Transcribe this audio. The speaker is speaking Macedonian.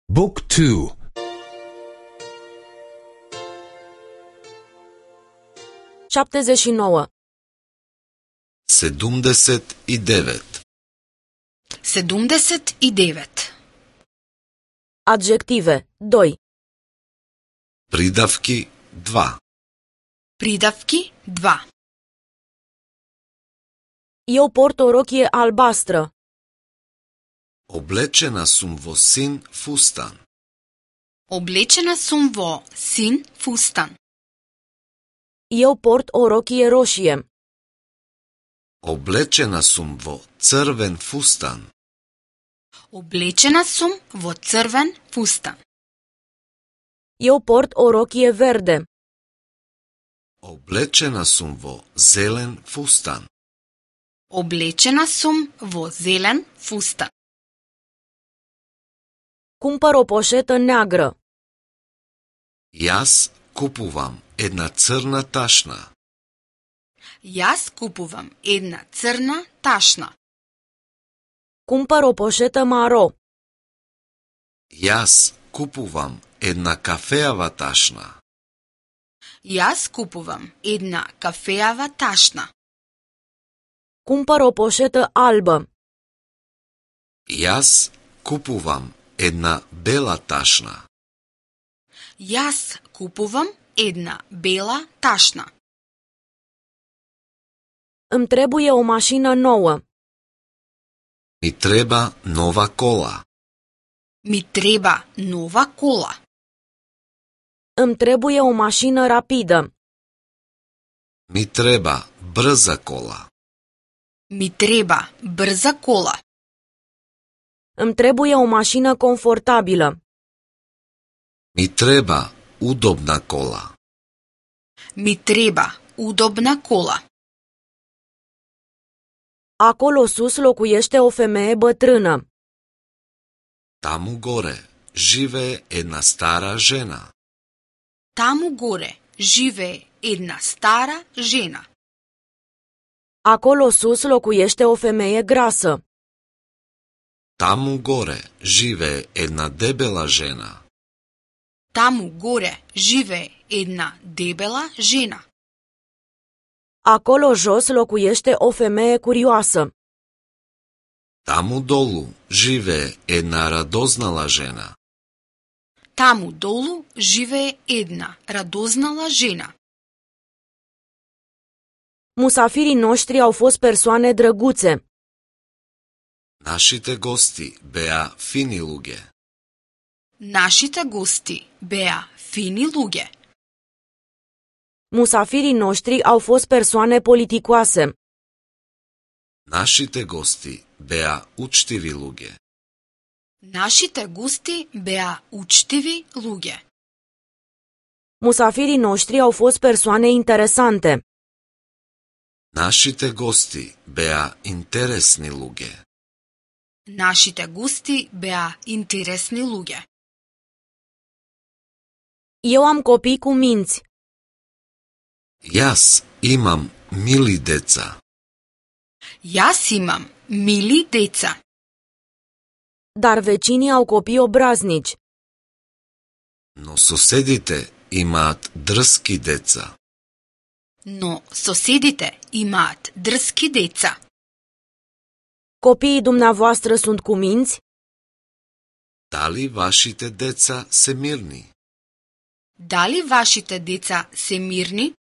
Book 2. 79. 79. 79. Adjective 2. Придавки 2. Придавки 2. Eu port o rochie albastră. Облечена сум во син фустан. Облечена сум во син фустан. Eu port o rochie roșie. Облечена сум во црвен фустан. Облечена сум во црвен фустан. Eu port o rochie verde. Облечена сум во зелен фустан. Облечена сум во зелен фустан. Cumpăr o poșetă neagră. Јас купувам една црна ташна. Јас купувам една црна ташна. Cumpăr o poșetă maro. Јас купувам една кафеава ташна. Јас купувам една кафеава ташна. Cumpăr o poșetă albă. Јас купувам една бела ташна. Јас купувам една бела ташна. Îmi trebuie o mașină nouă. Ми треба нова кола. Ми треба нова кола. Îmi trebuie o mașină rapidă. Ми треба брза кола. Ми треба брза кола. Îmi trebuie o mașină confortabilă. Ми треба удобна кола. Ми треба удобна кола. Acolo sus locuiește o femeie bătrână. Таму горе живее една стара жена. Таму горе живее една стара жена. Acolo sus locuiește o femeie grasă. Таму горе живее една дебела жена. Таму горе живее една дебела жена. Acolo jos locuiește o femeie curioasă. Таму долу живее една радознала жена. Таму долу живее една радознала жена. Musafirii noștri au fost persoane drăguțe. Нашите гости беа фини луѓе. Нашите гости беа фини луѓе. Musafirii noștri au fost persoane politicoase. Нашите гости беа учтиви луѓе. Нашите гости беа учтиви луѓе. Musafirii noștri au fost persoane interesante. Нашите гости беа интересни луѓе. Нашите гости беа интересни луѓе. Eu am copii cu minți. Јас имам мили деца. Јас имам мили деца. Dar vecinii au copii obraznici. Но соседите имаат дрски деца. Но соседите имаат дрски деца. Copiii dumneavoastră sunt cu minți? Дали вашите деца се мирни? Дали вашите деца се мирни?